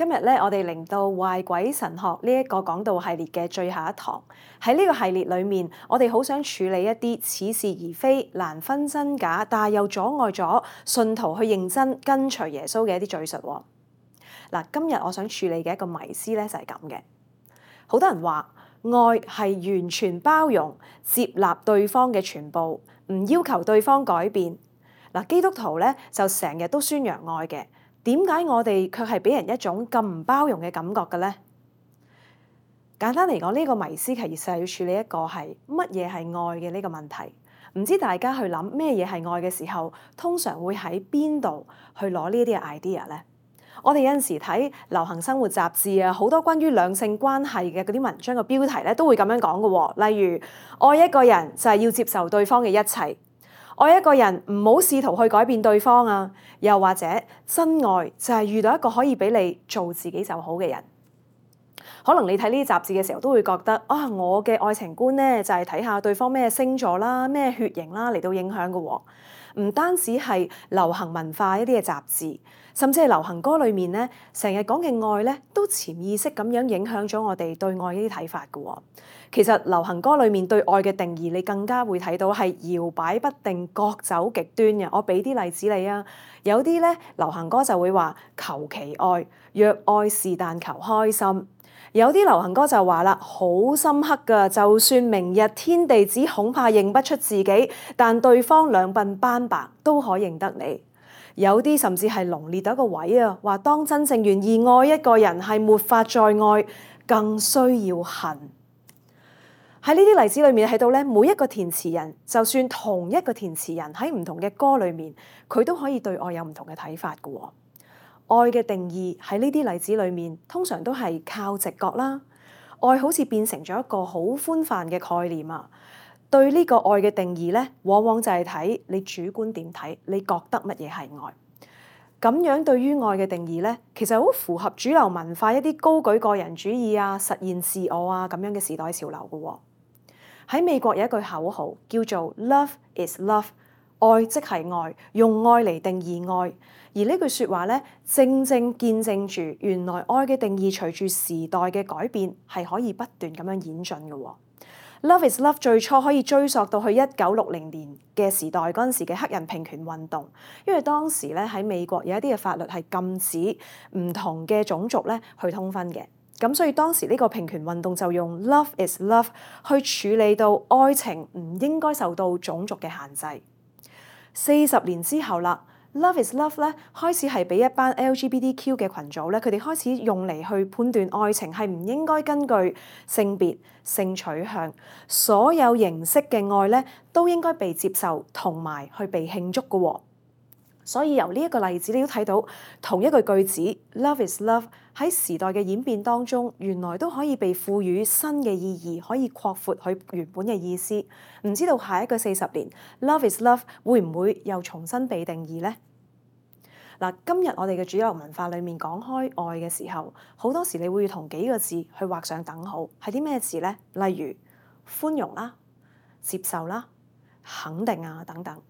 今日咧，我哋嚟到壞鬼神學呢一個講道系列嘅最後一堂。喺呢個系列裏面，我哋好想處理一啲似是而非、難分真假，但係又阻礙咗信徒去認真跟隨耶穌嘅一啲敘述。嗱，今日我想處理嘅一個迷思咧就係咁嘅。好多人話愛係完全包容、接納對方嘅全部，唔要求對方改變。嗱，基督徒咧就成日都宣揚愛嘅。點解我哋卻係俾人一種咁唔包容嘅感覺嘅咧？簡單嚟講，呢個迷思其實要處理一個係乜嘢係愛嘅呢個問題。唔知大家去諗咩嘢係愛嘅時候，通常會喺邊度去攞呢啲嘅 idea 咧？我哋有陣時睇流行生活雜誌啊，好多關於兩性關係嘅嗰啲文章嘅標題咧，都會咁樣講嘅喎。例如，愛一個人就係要接受對方嘅一切。愛一個人唔好試圖去改變對方啊，又或者真愛就係遇到一個可以俾你做自己就好嘅人。可能你睇呢啲雜誌嘅時候都會覺得啊，我嘅愛情觀咧就係睇下對方咩星座啦、咩血型啦嚟到影響嘅喎。唔單止係流行文化一啲嘅雜誌，甚至係流行歌裏面咧，成日講嘅愛咧，都潛意識咁樣影響咗我哋對愛呢啲睇法嘅喎。其實流行歌裏面對愛嘅定義，你更加會睇到係搖擺不定、各走極端嘅。我俾啲例子你啊，有啲咧流行歌就會話求其愛，若愛是但求開心。有啲流行歌就話啦，好深刻㗎，就算明日天地子恐怕認不出自己，但對方兩鬢斑白都可認得你。有啲甚至係濃烈到一個位啊，話當真正願意愛一個人係沒法再愛，更需要恨。喺呢啲例子裏面睇到咧，每一個填詞人，就算同一個填詞人喺唔同嘅歌裏面，佢都可以對愛有唔同嘅睇法嘅喎。愛嘅定義喺呢啲例子裏面，通常都係靠直覺啦。愛好似變成咗一個好寬泛嘅概念啊。對呢個愛嘅定義咧，往往就係睇你主觀點睇，你覺得乜嘢係愛。咁樣對於愛嘅定義咧，其實好符合主流文化一啲高舉個人主義啊、實現自我啊咁樣嘅時代潮流嘅喎。喺美國有一句口號叫做 Love is love， 愛即係愛，用愛嚟定義愛。而呢句説話咧，正正見證住原來愛嘅定義隨住時代嘅改變係可以不斷咁樣演進嘅喎。Love is love 最初可以追溯到去1960年嘅時代嗰陣時嘅黑人平權運動，因為當時咧喺美國有一啲嘅法律係禁止唔同嘅種族咧去通婚嘅。咁所以當時呢個平權運動就用 Love is love 去處理到愛情唔應該受到種族嘅限制。40年之後啦，Love is love 咧開始係俾一班 LGBTQ 嘅群組咧，佢哋開始用嚟去判斷愛情係唔應該根據性別、性取向，所有形式嘅愛咧都應該被接受同埋去被慶祝嘅喎。所以由呢一個例子，你都睇到同一句句子 Love is love 喺時代嘅演變當中，原來都可以被賦予新嘅意義，可以擴闊佢原本嘅意思。唔知道下一個40年 Love is love 會唔會又重新被定義呢？嗱，今日我哋嘅主流文化裡面講開愛嘅時候，好多時你會同幾個字去畫上等號，係啲咩字呢？例如寬容啦、接受啦、肯定啊等等。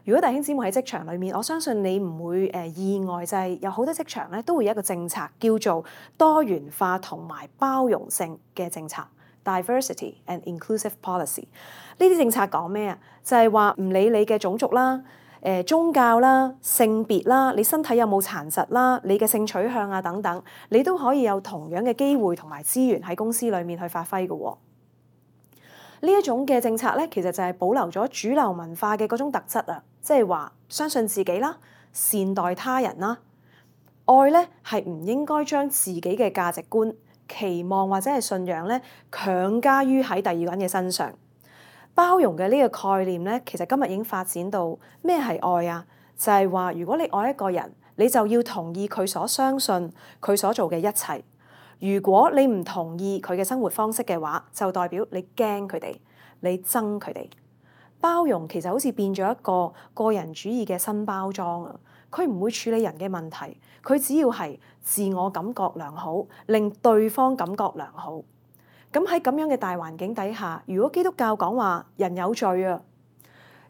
如果弟兄姊妹喺職場裏面，我相信你唔會意外，就係有好多職場咧都會有一個政策叫做多元化同埋包容性嘅政策 （Diversity and Inclusive Policy）。呢啲政策講咩啊？就係話唔理你嘅種族啦、宗教啦、性別啦、你身體有冇殘疾啦、你嘅性取向啊等等，你都可以有同樣嘅機會同埋資源喺公司裏面去發揮嘅喎。呢一種嘅政策咧，其實就係保留咗主流文化嘅嗰種特質啊，即係話相信自己啦、善待他人啦。愛咧係唔應該將自己嘅價值觀、期望或者係信仰咧強加於喺第二個人嘅身上。包容嘅呢個概念咧，其實今日已經發展到咩係愛啊？就係話如果你愛一個人，你就要同意佢所相信、佢所做嘅一切。如果你唔同意佢嘅生活方式嘅話，就代表你驚佢哋，你憎佢哋。包容其實好似變咗一個個人主義嘅新包裝啊！佢唔會處理人嘅問題，佢只要係自我感覺良好，令對方感覺良好。咁喺咁樣嘅大環境底下，如果基督教講話人有罪啊，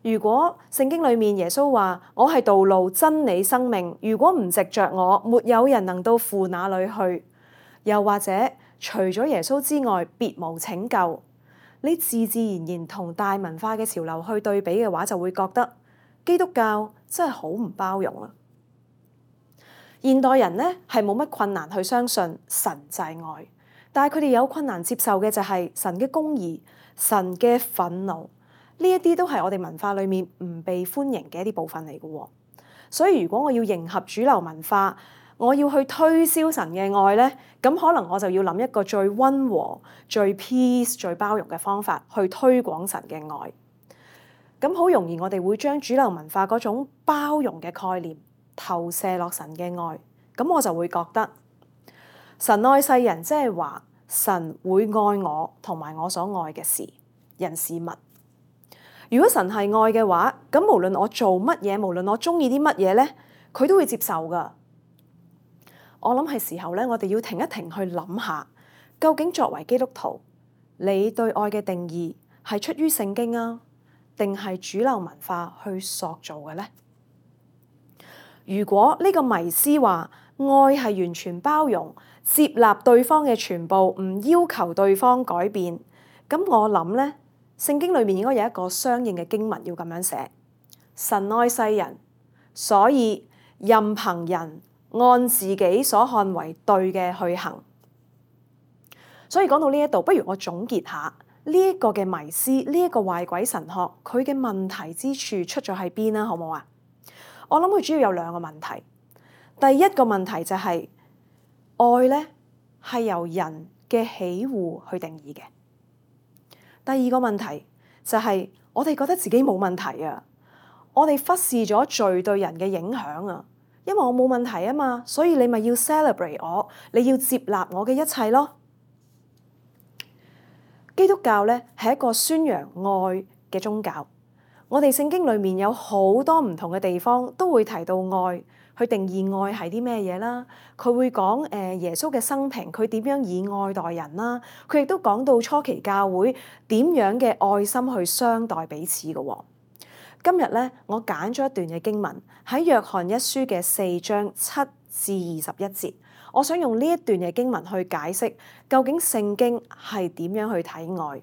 如果聖經裏面耶穌話我係道路、真理、生命，如果唔藉着我，沒有人能到父那裏去。又或者除咗耶穌之外，別無拯救。你自自然然同大文化嘅潮流去對比嘅話，就會覺得基督教真係好唔包容啊！現代人呢係冇乜困難去相信神就係愛，但係佢哋有困難接受嘅就係神嘅公義、神嘅憤怒，呢一啲都係我哋文化裏面唔被歡迎嘅一啲部分嚟嘅。所以如果我要迎合主流文化，我要去推銷神嘅愛呢，咁可能我就要諗一個最溫和、最 peace、最包容嘅方法去推廣神嘅愛。咁好容易我哋會將主流文化嗰種包容嘅概念投射落神嘅愛，咁我就會覺得神愛世人，即係話神會愛我同埋我所愛嘅事、人事物。如果神係愛嘅話，咁無論我做乜嘢，無論我中意啲乜嘢咧，佢都會接受噶。我諗係時候咧，我哋要停一停去諗下，究竟作為基督徒，你對愛嘅定義係出於聖經啊，定係主流文化去塑造嘅咧？如果呢個迷思話愛係完全包容、接納對方嘅全部，唔要求對方改變，咁我諗咧，聖經裏面應該有一個相應嘅經文要咁樣寫：神愛世人，所以任憑人按自己所看為對嘅去行。所以講到呢一度，不如我總結下呢一個嘅迷思，呢一個壞鬼神學，佢嘅問題之處出咗喺邊啦，好唔好啊？我諗佢主要有兩個問題。第一個問題就係愛咧係由人嘅喜惡去定義嘅。第二個問題就係我哋覺得自己冇問題啊，我哋忽視咗罪對人嘅影響啊。因為我冇問題啊嘛，所以你咪要 celebrate 我，你要接納我嘅一切咯。基督教咧係一個宣揚愛嘅宗教。我哋聖經裏面有好多唔同嘅地方都會提到愛，去定義愛係啲咩嘢啦。佢會講耶穌嘅生平，佢點樣以愛待人啦。佢亦都講到初期教會點樣嘅愛心去相待彼此嘅喎。今日咧，我揀咗一段嘅經文喺約翰一書嘅4章7至21節，我想用呢一段嘅經文去解釋究竟聖經係點樣去睇愛。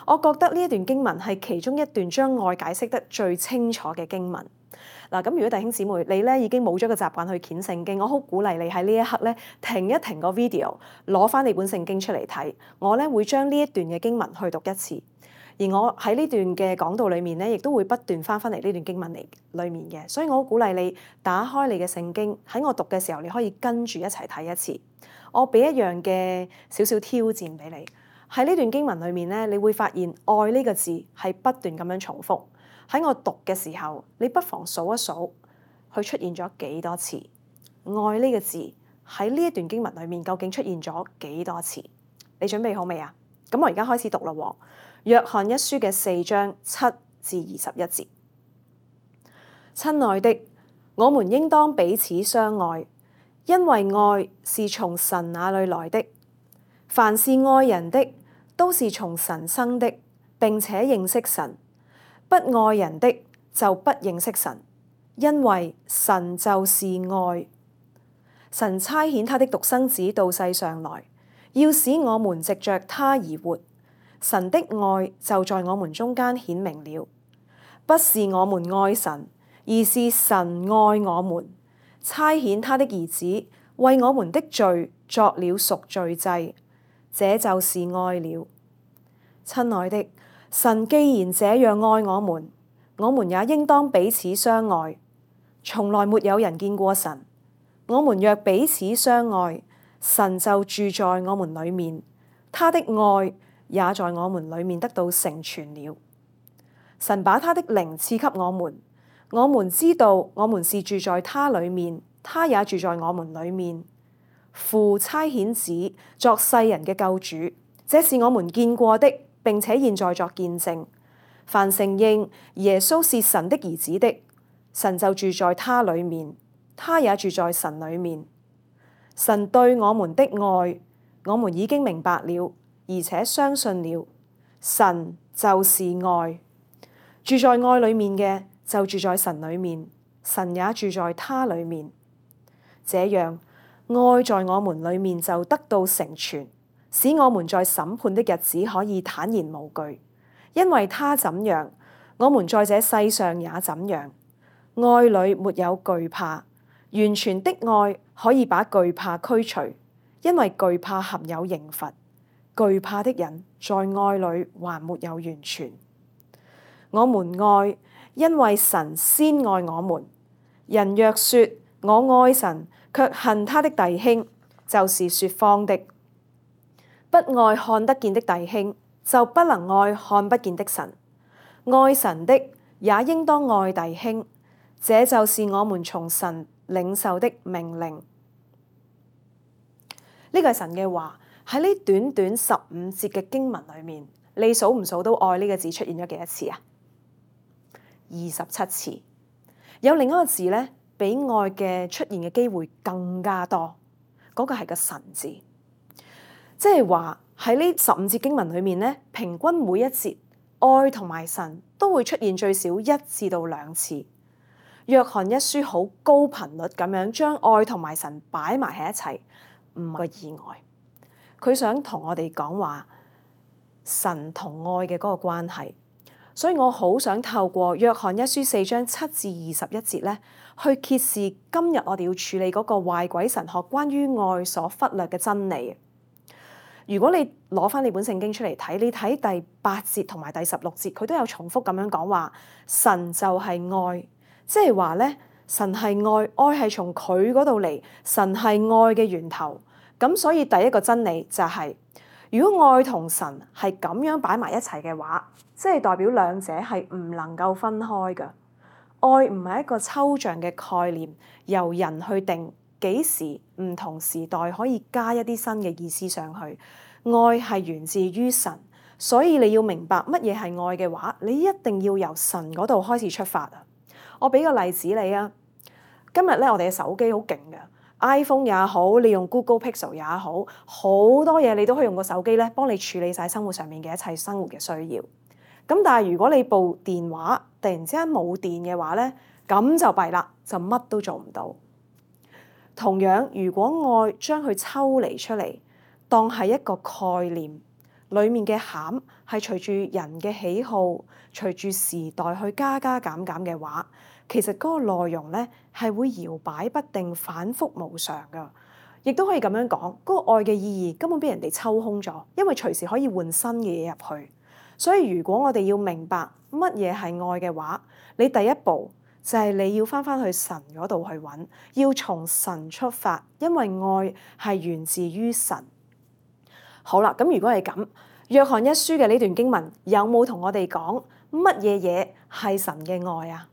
我覺得呢一段經文係其中一段將愛解釋得最清楚嘅經文。嗱，咁如果弟兄姊妹你咧已經冇咗個習慣去揀聖經，我好鼓勵你喺呢一刻咧停一停個 video，攞翻你本聖經出嚟睇。我咧會將呢一段嘅經文去讀一次。而我喺呢段嘅講道裏面咧，亦都會不斷翻嚟呢段經文裏面嘅，所以我好鼓勵你打開你嘅聖經，喺我讀嘅時候，你可以跟住一齊睇一次。我俾一樣嘅少少挑戰俾你，喺呢段經文裏面咧，你會發現愛呢個字係不斷咁樣重複。喺我讀嘅時候，你不妨數一數，佢出現咗幾多次？愛呢個字喺呢一段經文裏面究竟出現咗幾多次？你準備好未啊？咁我而家開始讀啦喎。約翰一書嘅4章7至21節，親愛的，我們應當彼此相愛，因為愛是從神那裏來的。凡是愛人的，都是從神生的，並且認識神；不愛人的，就不認識神，因為神就是愛。神差遣他的獨生子到世上來，要使我們藉着他而活。神的愛就在我們中間顯明了，不是我們愛神，而是神愛我們，差遣他的兒子為我們的罪作了贖罪祭，這就是愛了。親愛的，神既然這樣愛我們也應當彼此相愛。從來沒有人見過神，我們若彼此相愛，神就住在我們裏面，他的愛也在我們裏面得到成全了。神把他的靈賜給我們知道我們是住在他裏面，他也住在我們裏面。父差遣子作世人嘅救主，這是我們見過的，並且現在作見證。凡承認耶穌是神的兒子的，神就住在他裏面，他也住在神裏面。神對我們的愛，我們已經明白了，而且相信了。神就是愛。住在愛裏面嘅就住在神裏面，神也住在他裏面。這樣，愛在我們裏面就得到成全，使我們在審判的日子可以坦然無懼。因為他怎樣，我們在這世上也怎樣。愛裏沒有懼怕，完全的愛可以把懼怕驅除，因為懼怕含有刑罰。懼怕的人在愛裏還沒有完全。我們愛，因為神先愛我們。人若說我愛神，卻恨他的弟兄，就是說謊的。不愛看得見的弟兄，就不能愛看不見的神。愛神的也應當愛弟兄，這就是我們從神領受的命令。呢個係神嘅話，喺呢短短15節嘅經文裏面，你數唔數到愛呢個字出現咗幾多次啊？27次。有另一個字咧，比愛嘅出現嘅機會更加多，嗰個係個神字。即係話喺呢15節經文裏面咧，平均每一節愛同埋神都會出現最少1至到2次。約翰一書好高頻率咁樣將愛同埋神擺埋喺一齊，唔係個意外。佢想同我哋講話神同愛嘅嗰個關係，所以我好想透過約翰一書4章7至21節咧，去揭示今日我哋要處理嗰個壞鬼神學關於愛所忽略嘅真理。如果你攞翻你本聖經出嚟睇，你睇第8節同埋第16節，佢都有重複咁樣講話，神就係愛，即係話咧，神係愛，愛係從佢嗰度嚟，神係愛嘅源頭。咁所以第一個真理就係，如果愛同神係咁樣擺埋一齊嘅話，即係代表兩者係唔能夠分開嘅。愛唔係一個抽象嘅概念，由人去定幾時唔同時代可以加一啲新嘅意思上去。愛係源自於神，所以你要明白乜嘢係愛嘅話，你一定要由神嗰度開始出發啊！我俾個例子你啊，今日咧我哋嘅手機好勁嘅。iPhone 也好，你用 Google Pixel 也好，好多嘢你都可以用個手機咧，幫你處理晒生活上面嘅一切生活嘅需要。咁但係如果你部電話突然之間冇電嘅話咧，咁就弊啦，就乜都做唔到。同樣，如果愛將佢抽離出嚟，當係一個概念，裡面嘅餡係隨住人嘅喜好，隨住時代去加加減減嘅話，其實嗰個內容咧係會搖擺不定、反覆無常噶，亦都可以咁樣講，嗰個愛嘅意義根本俾人哋抽空咗，因為隨時可以換新嘅嘢入去。所以如果我哋要明白乜嘢係愛嘅話，你第一步就係你要翻去神嗰度去揾，要從神出發，因為愛係源自於神。好啦，咁如果係咁，約翰一書嘅呢段經文有冇同我哋講乜嘢嘢係神嘅愛啊？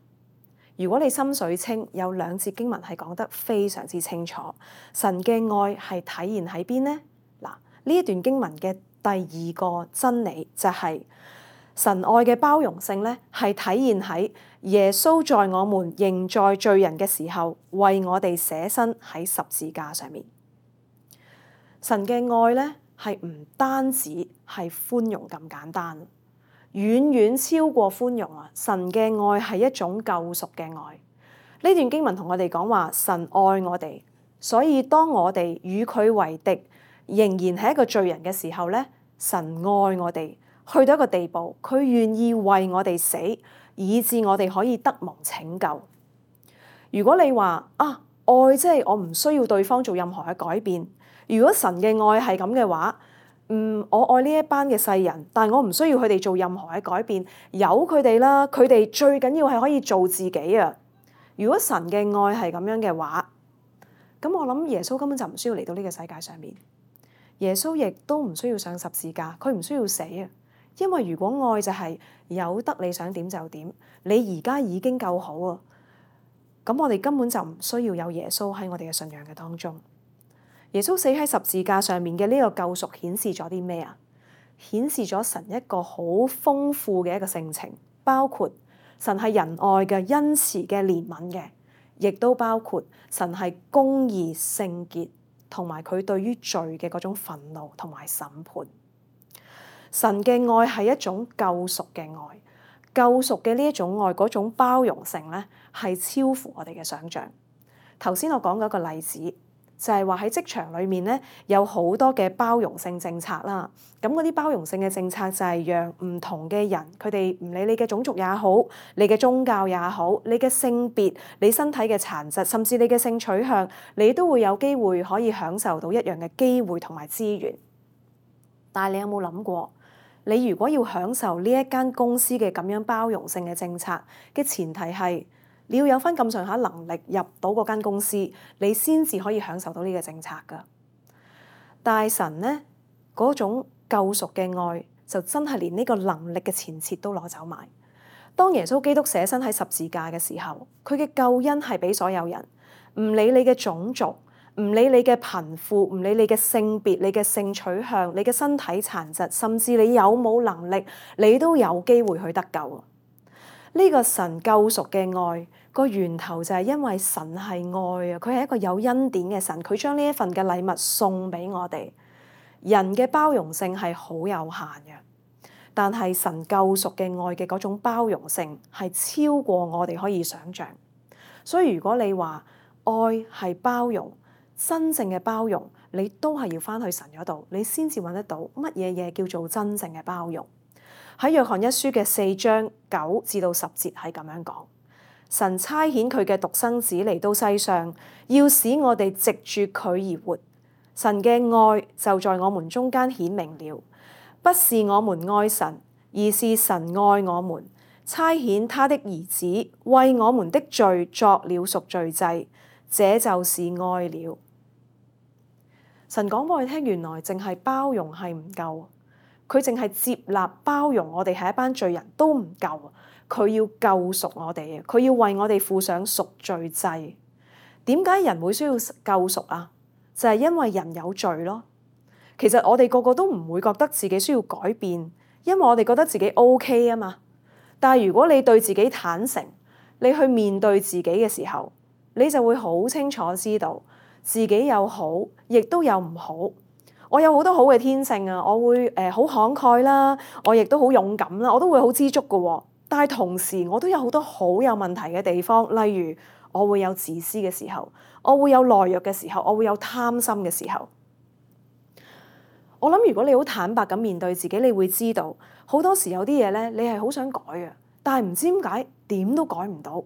如果你心水清，有2節經文係講得非常之清楚，神嘅愛係體現喺邊呢？嗱，呢一段經文嘅第2個真理就係神愛嘅包容性咧，係體現喺耶穌在我們仍在罪人嘅時候，為我哋捨身喺十字架上面。神嘅愛咧係唔單止係寬容咁簡單。遠遠超過寬容啊！神嘅愛係一種救贖嘅愛。呢段經文同我哋講話，神愛我哋，所以當我哋與佢為敵，仍然係一個罪人嘅時候咧，神愛我哋，去到一個地步，佢願意為我哋死，以致我哋可以得蒙拯救。如果你話啊，愛即係我唔需要對方做任何嘅改變，如果神嘅愛係咁嘅話，我愛呢一班嘅世人，但係我唔需要佢哋做任何嘅改變，由佢哋啦。佢哋最緊要係可以做自己啊！如果神嘅愛係咁樣嘅話，咁我諗耶穌根本就唔需要嚟到呢個世界上面。耶穌亦都唔需要上十字架，佢唔需要死啊！因為如果愛就係有得你想點就點，你而家已經夠好啊！咁我哋根本就唔需要有耶穌喺我哋嘅信仰嘅當中。耶穌死喺十字架上面嘅呢個救贖顯示咗啲咩啊？顯示咗神一個好豐富嘅一個性情，包括神係仁愛嘅、恩慈嘅、憐憫嘅，亦都包括神係公義、聖潔，同埋佢對於罪嘅嗰種憤怒同埋審判。神嘅愛係一種救贖嘅愛，救贖嘅呢一種愛，嗰種包容性咧，係超乎我哋嘅想像。頭先我講嗰個例子，就係話喺職場裏面咧，有好多嘅包容性政策啦。咁嗰啲包容性嘅政策就係讓唔同嘅人，佢哋唔理你嘅種族也好，你嘅宗教也好，你嘅性別、你身體嘅殘疾，甚至你嘅性取向，你都會有機會可以享受到一樣嘅機會同埋資源。但係你有冇諗過？你如果要享受呢一間公司嘅咁樣包容性嘅政策嘅前提係，你要有返咁上下能力入到嗰間公司，你先至可以享受到呢個政策㗎。但係神呢，嗰種救贖嘅愛就真係連呢個能力嘅前設都攞走埋。當耶穌基督捨身喺十字架嘅時候，佢嘅救恩係俾所有人，唔理你嘅種族，唔理你嘅貧富，唔理你嘅性別、你嘅性取向、你嘅身體殘疾，甚至你有冇能力，你都有機會去得救。呢個神救贖嘅愛個源頭就係因為神係愛啊，佢係一個有恩典嘅神，佢將呢一份嘅禮物送俾我哋。人嘅包容性係好有限嘅，但係神救贖嘅愛嘅嗰種包容性係超過我哋可以想像。所以如果你話愛係包容，真正嘅包容，你都係要返去神嗰度，你先至揾得到乜嘢嘢叫做真正嘅包容。喺約翰一書嘅4章9至到10節係咁樣講：神差遣佢嘅獨生子嚟到世上，要使我哋藉住佢而活。神嘅愛就在我們中間顯明了，不是我們愛神，而是神愛我們，差遣他的兒子為我們的罪作了贖罪祭，這就是愛了。神講俾我哋聽，原來淨係包容係唔夠，佢淨係接納包容我哋係一班罪人都唔夠，佢要救贖我哋啊！佢要為我哋付上贖罪祭。點解人會需要救贖啊？就係因為人有罪咯。其實我哋個個都唔會覺得自己需要改變，因為我哋覺得自己 OK 啊嘛。但係如果你對自己坦誠，你去面對自己嘅時候，你就會好清楚知道自己有好，亦都有唔好。我有好多好嘅天性啊，我會好慷慨啦，我亦都好勇敢啦，我都會好知足㗎喎。但係同時我都有好多好有問題嘅地方，例如我會有自私嘅時候，我會有懦弱嘅時候，我會有貪心嘅時候。我諗如果你好坦白咁面對自己，你會知道好多時有啲嘢咧，你係好想改嘅，但係唔知點解點都改唔到。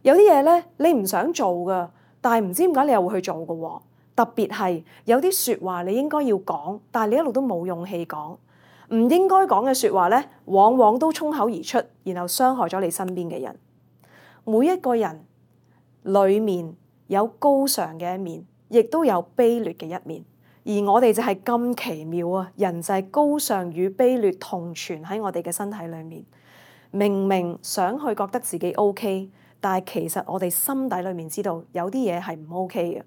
有啲嘢咧，你唔想做㗎，但係唔知點解你又會去做㗎喎。特別係有啲説話你應該要講，但係你一路都冇勇氣講。唔應該講嘅説話咧，往往都衝口而出，然後傷害咗你身邊嘅人。每一個人裡面有高尚嘅一面，亦都有卑劣嘅一面。而我哋就係咁奇妙啊！人就係高尚與卑劣同存喺我哋嘅身體裏面。明明想去覺得自己 OK，但係其實我哋心底裏面知道有啲嘢係唔 OK 嘅。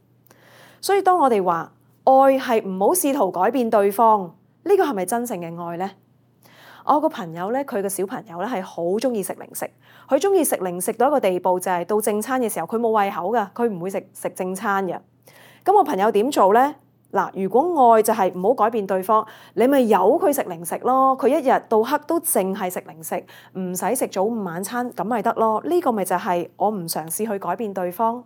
所以當我哋話愛係唔好試圖改變對方，呢個係咪真正嘅愛呢？我個朋友咧，佢個小朋友咧係好中意食零食，佢中意食零食到一個地步，就係到正餐嘅時候佢冇胃口㗎，佢唔會食正餐嘅。咁我朋友點做呢？嗱，如果愛就係唔好改變對方，你咪由佢食零食咯。佢一日到黑都淨係食零食，唔使食早午晚餐，咁咪得咯。呢個咪就係我唔嘗試去改變對方。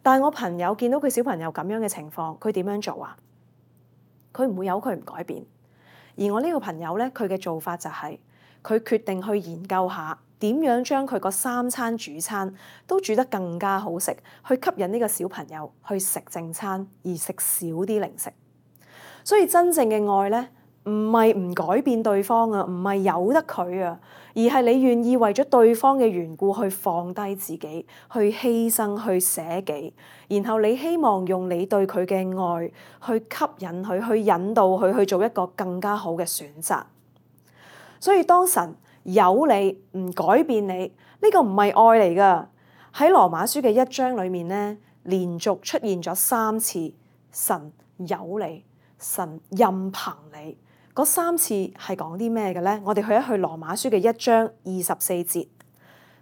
但係我朋友見到佢小朋友咁樣嘅情況，佢點樣做啊？佢唔會由佢唔改變。而我呢個朋友咧，佢嘅做法就係佢決定去研究下點樣將佢個3餐主餐都煮得更加好食，去吸引呢個小朋友去食正餐，而食少啲零食。所以真正嘅愛咧，唔係唔改變對方啊，唔係由得佢啊，而係你願意為咗對方嘅緣故去放低自己，去犧牲，去捨己，然後你希望用你對佢嘅愛去吸引佢，去引導佢去做一個更加好嘅選擇。所以當神有你唔改變你，呢個唔係愛嚟㗎。喺羅馬書嘅1章裏面咧，連續出現咗3次神有你，神任憑你。嗰3次係講啲咩嘅咧？我哋去一去羅馬書嘅1章24節，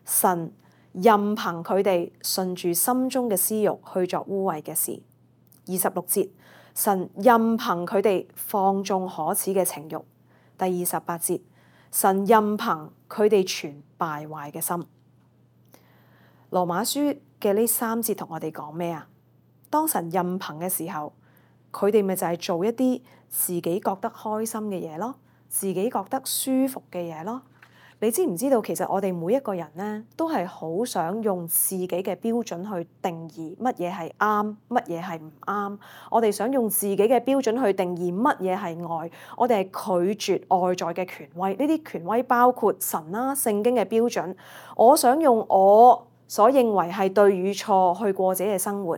神任憑佢哋順住心中嘅私慾去作污穢嘅事。26節，神任憑佢哋放縱可恥嘅情慾。第28節，神任憑佢哋存敗壞嘅心。羅馬書嘅呢3節同我哋講咩啊？當神任憑嘅時候，佢哋咪就係做一啲自己覺得開心嘅嘢咯，自己覺得舒服嘅嘢咯。你知唔知道其實我哋每一個人咧，都係好想用自己嘅標準去定義乜嘢係啱，乜嘢係唔啱。我哋想用自己嘅標準去定義乜嘢係愛。我哋係拒絕外在嘅權威，呢啲權威包括神啦、聖經嘅標準。我想用我所認為係對與錯去過自己嘅生活。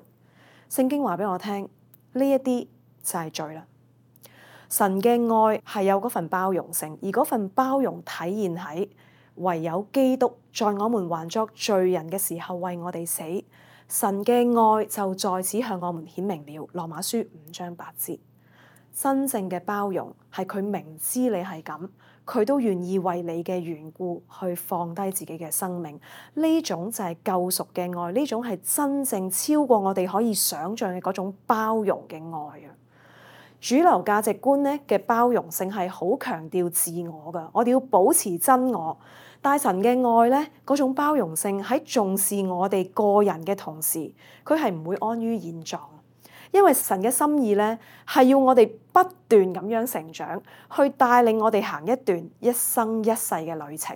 聖經話俾我聽，呢一啲就係罪啦。神嘅愛係有嗰份包容性，而嗰份包容體現喺唯有基督在我們還作罪人嘅時候為我哋死，神嘅愛就在此向我們顯明了。羅馬書5章8節，真正嘅包容係佢明知你係咁，佢都願意為你嘅緣故去放低自己嘅生命。呢種就係救贖嘅愛，呢種係真正超過我哋可以想象嘅嗰種包容嘅愛啊！主流價值觀咧嘅包容性係好強調自我㗎，我哋要保持真我。但神嘅愛咧，嗰種包容性喺重視我哋個人嘅同時，佢係唔會安於現狀，因為神嘅心意咧係要我哋不斷咁樣成長，去帶領我哋行一段一生一世嘅旅程。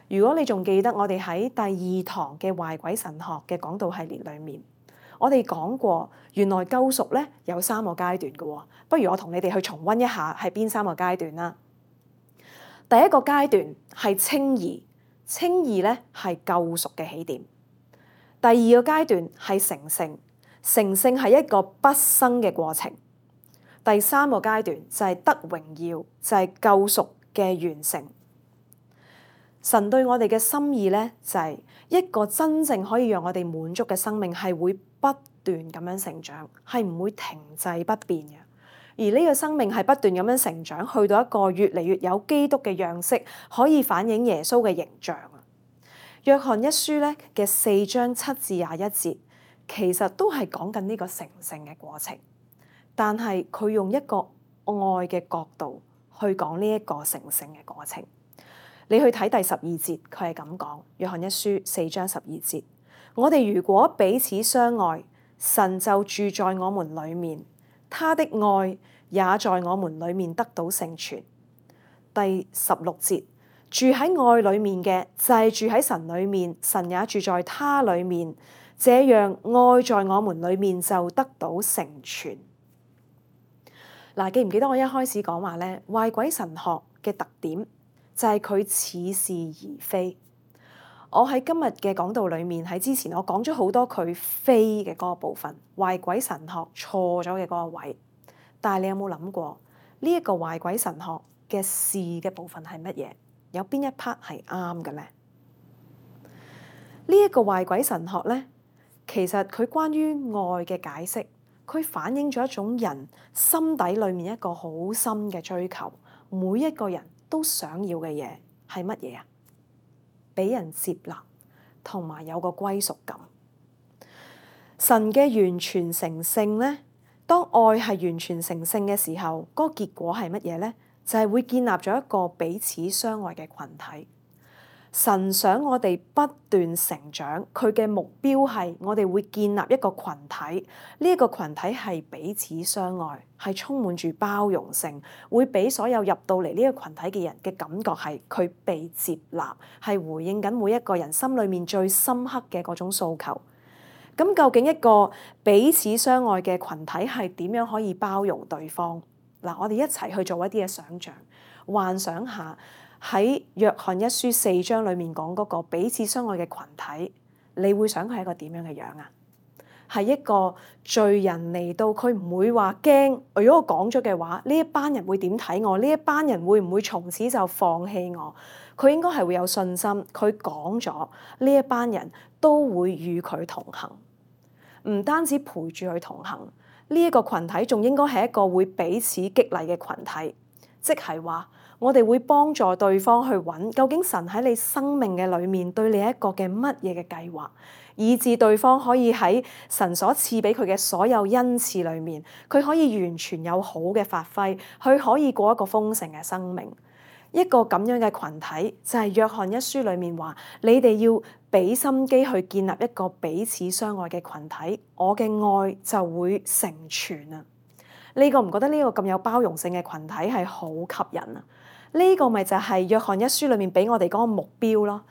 如果你仲記得我哋喺第2堂嘅壞鬼神學嘅講道系列裏面，我哋講過，原來救贖咧有3個階段嘅喎，不如我同你哋去重溫一下係邊3個階段啦。第一個階段係稱義，稱義咧係救贖嘅起點。第2個階段係成聖，成聖係一個畢生嘅過程。第3個階段就係得榮耀，就係救贖嘅完成。神對我哋嘅心意咧，就係一個真正可以讓我哋滿足嘅生命，係會不斷咁樣成長，係唔會停滯不變嘅。而呢個生命係不斷咁樣成長，去到一個越嚟越有基督嘅樣式，可以反映耶穌嘅形象啊。約翰一書咧嘅4章7至21節，其實都係講緊呢個成聖嘅過程，但係佢用一個愛嘅角度去講呢一個成聖嘅過程。你去睇第12節，佢係咁講。約翰一書4章12節，我哋如果彼此相愛，神就住在我們裡面，他的愛也在我們裡面得到成全。第16節，住喺愛裡面嘅就係住喺神裡面，神也住在他裡面，這樣愛在我們裡面就得到成全。嗱，記唔記得我一開始講話咧，壞鬼神學嘅特點就係佢似是而非。我喺今日嘅講道裏面，喺之前我講咗好多佢非嘅嗰個部分，壞鬼神學錯咗嘅嗰個位。但係你有冇諗過呢一個壞鬼神學嘅是嘅部分係乜嘢？有邊一 part 係啱嘅咧？呢一個壞鬼神學咧，其實佢關於愛嘅解釋，佢反映咗一種人心底裏面一個好深嘅追求，每一個人都想要嘅嘢係乜嘢啊？俾人接納，同埋有個歸屬感。神嘅完全成聖咧，當愛係完全成聖嘅時候，嗰個結果係乜嘢咧？就係會建立咗一個彼此相愛嘅群體。神想我哋不斷成長，佢嘅目標係我哋會建立一個群體，呢一個群體係彼此相愛，係充滿住包容性，會俾所有入到嚟呢個群體嘅人嘅感覺係佢被接納，係回應緊每一個人心裏面最深刻嘅嗰種訴求。咁究竟一個彼此相愛嘅群體係點樣可以包容對方？嗱，我哋一齊去做一啲嘅想像，幻想下。喺約翰一書4章裏面講嗰個彼此相愛嘅群體，你會想佢係一個點樣嘅樣啊？係一個罪人嚟到，佢唔會話驚。如果我講咗嘅話，呢一班人會點睇我？呢一班人會唔會從此就放棄我？佢應該係會有信心。佢講咗，呢一班人都會與佢同行，唔單止陪住佢同行。呢一個群體仲應該係一個會彼此激勵嘅群體，即係話。我哋會幫助對方去揾究竟神喺你生命嘅裏面對你一個嘅乜嘢嘅計劃，以致對方可以喺神所賜俾佢嘅所有恩賜裏面，佢可以完全有好嘅發揮，佢可以過一個豐盛嘅生命。一個咁樣嘅群體，就係約翰一書裡面話：你哋要俾心機去建立一個彼此相愛嘅群體，我嘅愛就會成全啊！你覺唔覺得呢個咁有包容性嘅群體係好吸引啊？呢個咪就係約翰一書裡面俾我哋嗰個目標咯。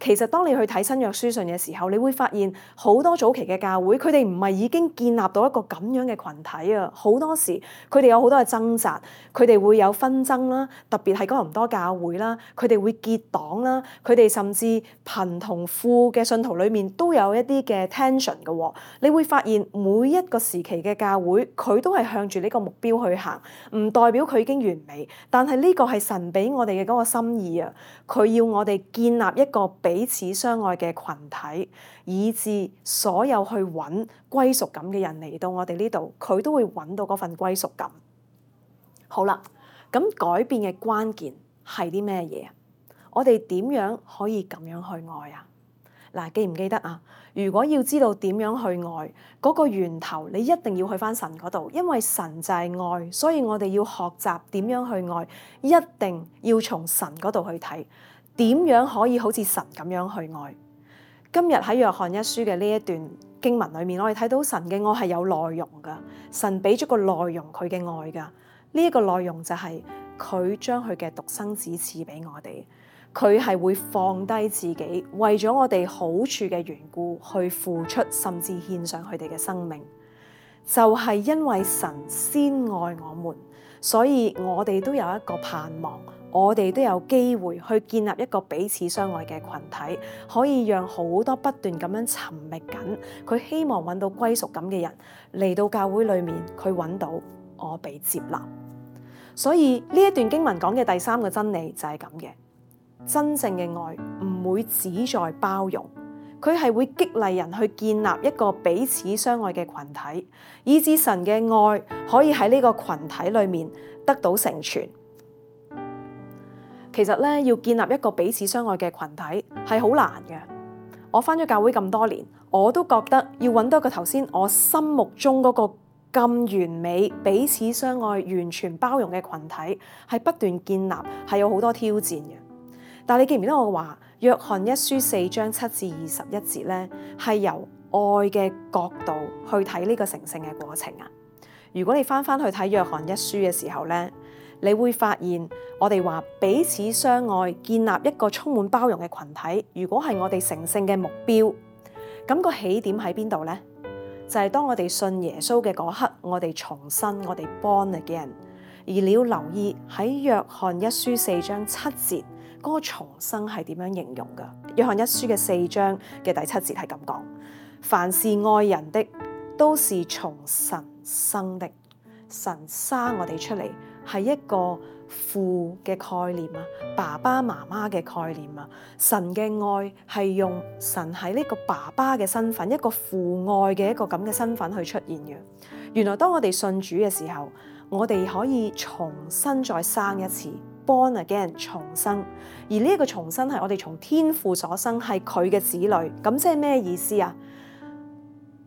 其實當你去睇新約書信嘅時候，你會發現好多早期嘅教會，佢哋唔係已經建立到一個咁樣嘅群體啊！好多時佢哋有好多嘅掙扎，佢哋會有紛爭啦，特別係哥林多教會啦，佢哋會結黨啦，佢哋甚至貧同富嘅信徒裡面都有一啲嘅 tension 嘅喎。你會發現每一個時期嘅教會，佢都係向住呢個目標去行，唔代表佢已經完美，但係呢個係神俾我哋嘅嗰個心意啊！佢要我哋建立一個彼此相愛嘅群體，以致所有去揾歸屬感嘅人嚟到我哋呢度，佢都會揾到嗰份歸屬感。好啦，咁改變嘅關鍵係啲咩嘢？我哋點樣可以咁樣去愛啊？嗱，記唔記得啊？如果要知道點樣去愛，嗰個源頭你一定要去返神嗰度，因為神就係愛，所以我哋要學習點樣去愛，一定要從神嗰度去睇。點樣可以好似神咁樣去愛？今日喺約翰一書嘅呢一段經文裏面，我哋睇到神嘅愛係有內容㗎，神俾咗個內容佢嘅愛㗎。呢一個內容就係佢將佢嘅獨生子賜俾我哋，佢係會放低自己，為咗我哋好處嘅緣故去付出，甚至獻上佢哋嘅生命。就係因為神先愛我們，所以我哋都有一個盼望。我哋都有機會去建立一個彼此相愛嘅群體，可以讓好多不斷咁樣尋覓緊佢希望揾到歸屬感嘅人嚟到教會裏面，佢揾到我被接納。所以呢一段經文講嘅第三個真理就係咁嘅，真正嘅愛唔會只在包容，佢係會激勵人去建立一個彼此相愛嘅群體，以致神嘅愛可以喺呢個群體裏面得到成全。其實咧，要建立一個彼此相愛嘅群體係好難嘅。我返咗教會咁多年，我都覺得要揾到一個頭先我心目中嗰個咁完美、彼此相愛、完全包容嘅群體，係不斷建立，係有好多挑戰嘅。但係你記唔記得我話約翰一書4章7至21節咧，係由愛嘅角度去睇呢個成聖嘅過程啊？如果你返去睇約翰一書嘅時候咧，你會發現我哋話彼此相愛，建立一個充滿包容嘅群體。如果係我哋成聖嘅目標，咁個起點喺邊度呢？就係當我哋信耶穌嘅嗰刻，我哋重生，我哋 born again。而你要留意喺約翰一書4章7節嗰個重生係點樣形容㗎？約翰一書嘅4章嘅第7節係咁講：凡是愛人的，都是從神生的。神生我哋出嚟，係一個父嘅概念啊，爸爸媽媽嘅概念啊。神嘅愛係用神喺呢個爸爸嘅身份，一個父愛嘅一個咁嘅身份去出現嘅。原來當我哋信主嘅時候，我哋可以重新再生一次 ，born again 重生。而呢一個重生係我哋從天父所生，係佢嘅子女。咁即係咩意思啊？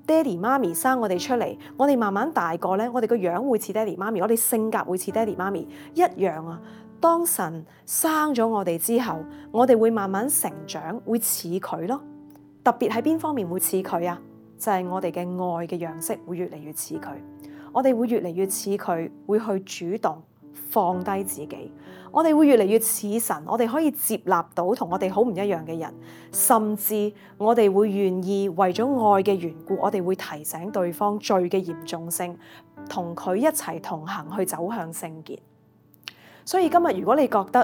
爹哋媽咪生我哋出嚟，我哋慢慢大個咧，我哋個樣會似爹哋媽咪，我哋性格會似爹哋媽咪一樣啊。當神生咗我哋之後，我哋會慢慢成長，會似佢咯。特別喺邊方面會似佢啊？就係我哋嘅愛嘅樣式會越嚟越似佢，我哋會越嚟越似佢，會去主動放低自己。我哋會越嚟越似神，我哋可以接納到同我哋好唔一樣嘅人，甚至我哋會願意為咗愛嘅緣故，我哋會提醒對方罪嘅嚴重性，同佢一齊同行去走向聖潔。所以今日如果你覺得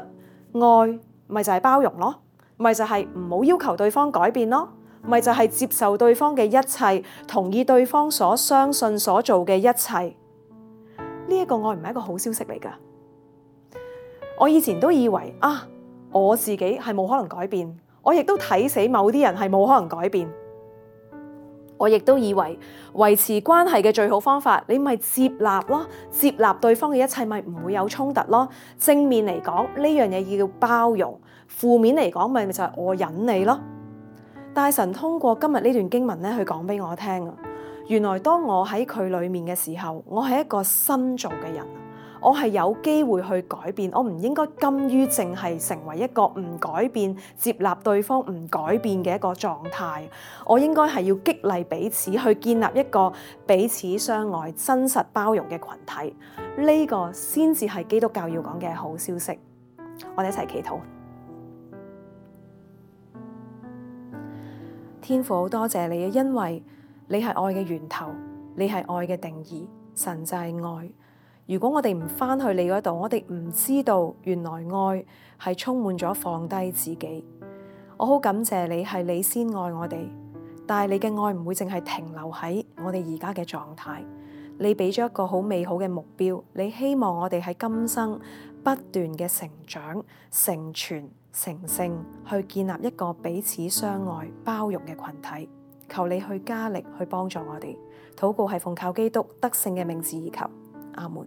愛咪就係包容咯，咪就係唔好要求對方改變咯，咪就係接受對方嘅一切，同意對方所相信所做嘅一切，呢一個愛唔係一個好消息嚟㗎。我以前都以為我自己係冇可能改變，我亦都睇死某啲人係冇可能改變。我亦都以為維持關係嘅最好方法，你咪接納咯，接納對方嘅一切咪唔會有衝突咯。正面嚟講呢樣嘢叫包容，負面嚟講咪就係我忍你咯。但係神通過今日呢段經文咧，去講俾我聽啊，原來當我喺佢裡面嘅時候，我係一個新造嘅人。我係有機會去改變，我唔應該甘於淨係成為一個唔改變、接納對方唔改變嘅一個狀態。我應該係要激勵彼此，去建立一個彼此相愛、真實包容嘅群體。呢個先至係基督教要講嘅好消息。我哋一齊祈禱。天父，好多謝你啊，因為你係愛嘅源頭，你係愛嘅定義，神就係愛。如果我哋唔返去你嗰度，我哋唔知道原來愛係充滿咗放低自己。我好感謝你，係你先愛我哋，但係你嘅愛唔會淨係停留喺我哋而家嘅狀態。你俾咗一個好美好嘅目標，你希望我哋喺今生不斷嘅成長、成全、成聖，去建立一個彼此相愛、包容嘅群體。求你去加力去幫助我哋。禱告係奉靠基督得勝嘅名字而求，阿門。